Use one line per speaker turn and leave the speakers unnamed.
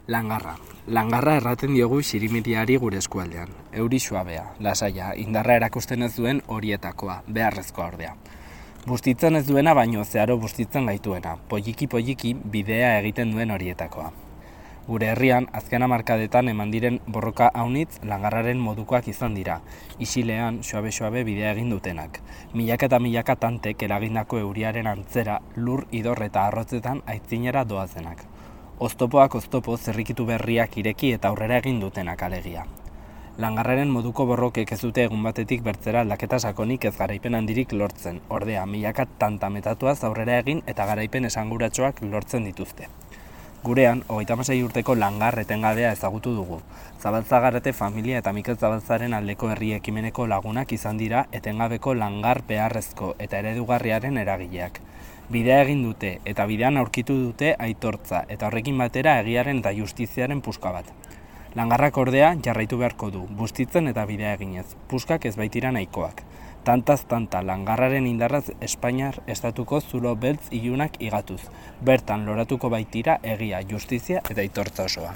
Langarra. Langarra erraten diogu xirimiriari gure eskualdean. Euri suabea, lasaia, indarra erakusten ez duen horietakoa, beharrezkoa ordea. Bustitzen ez duena baino zeharo bustitzen gaituena, poliki bidea egiten duen horietakoa. Gure herrian, azken hamarkadetan eman diren borroka haunitz langarraren modukoak izan dira, isilean suabe bidea egin dutenak. Milaka eta milaka tantek eragindako euriaren antzera, lur, idor eta arrotzetan aitzinera doazenak. Oztopoak oztopo zerrikitu berriak ireki eta aurrera egin dutenak alegia. Langarraren moduko borrokek ez dute egun batetik bertzera aldaketa sakonik ez garaipen handirik lortzen, ordea milaka tanta metatuaz aurrera egin eta garaipen esanguratsuak lortzen dituzte. Gurean, 36 urteko langar etengabea ezagutu dugu. Zabaltzagarrete familia eta Mikel Zabaltzaren aldeko herri ekimeneko lagunak izan dira etengabeko langar beharrezko eta eredugarriaren eragileak. Bidea egin dute eta bidean aurkitu dute aitortza eta horrekin batera egiaren eta justiziaren puska bat. Langarrak ordea jarraitu beharko du, bustitzen eta bidea eginez, puskak ez baitira nahikoak. Tantaz tanta langarraren indarraz Espainiar estatuko zulo beltz ilunak igatuz. Bertan loratuko baitira egia, justizia eta aitortza osoa.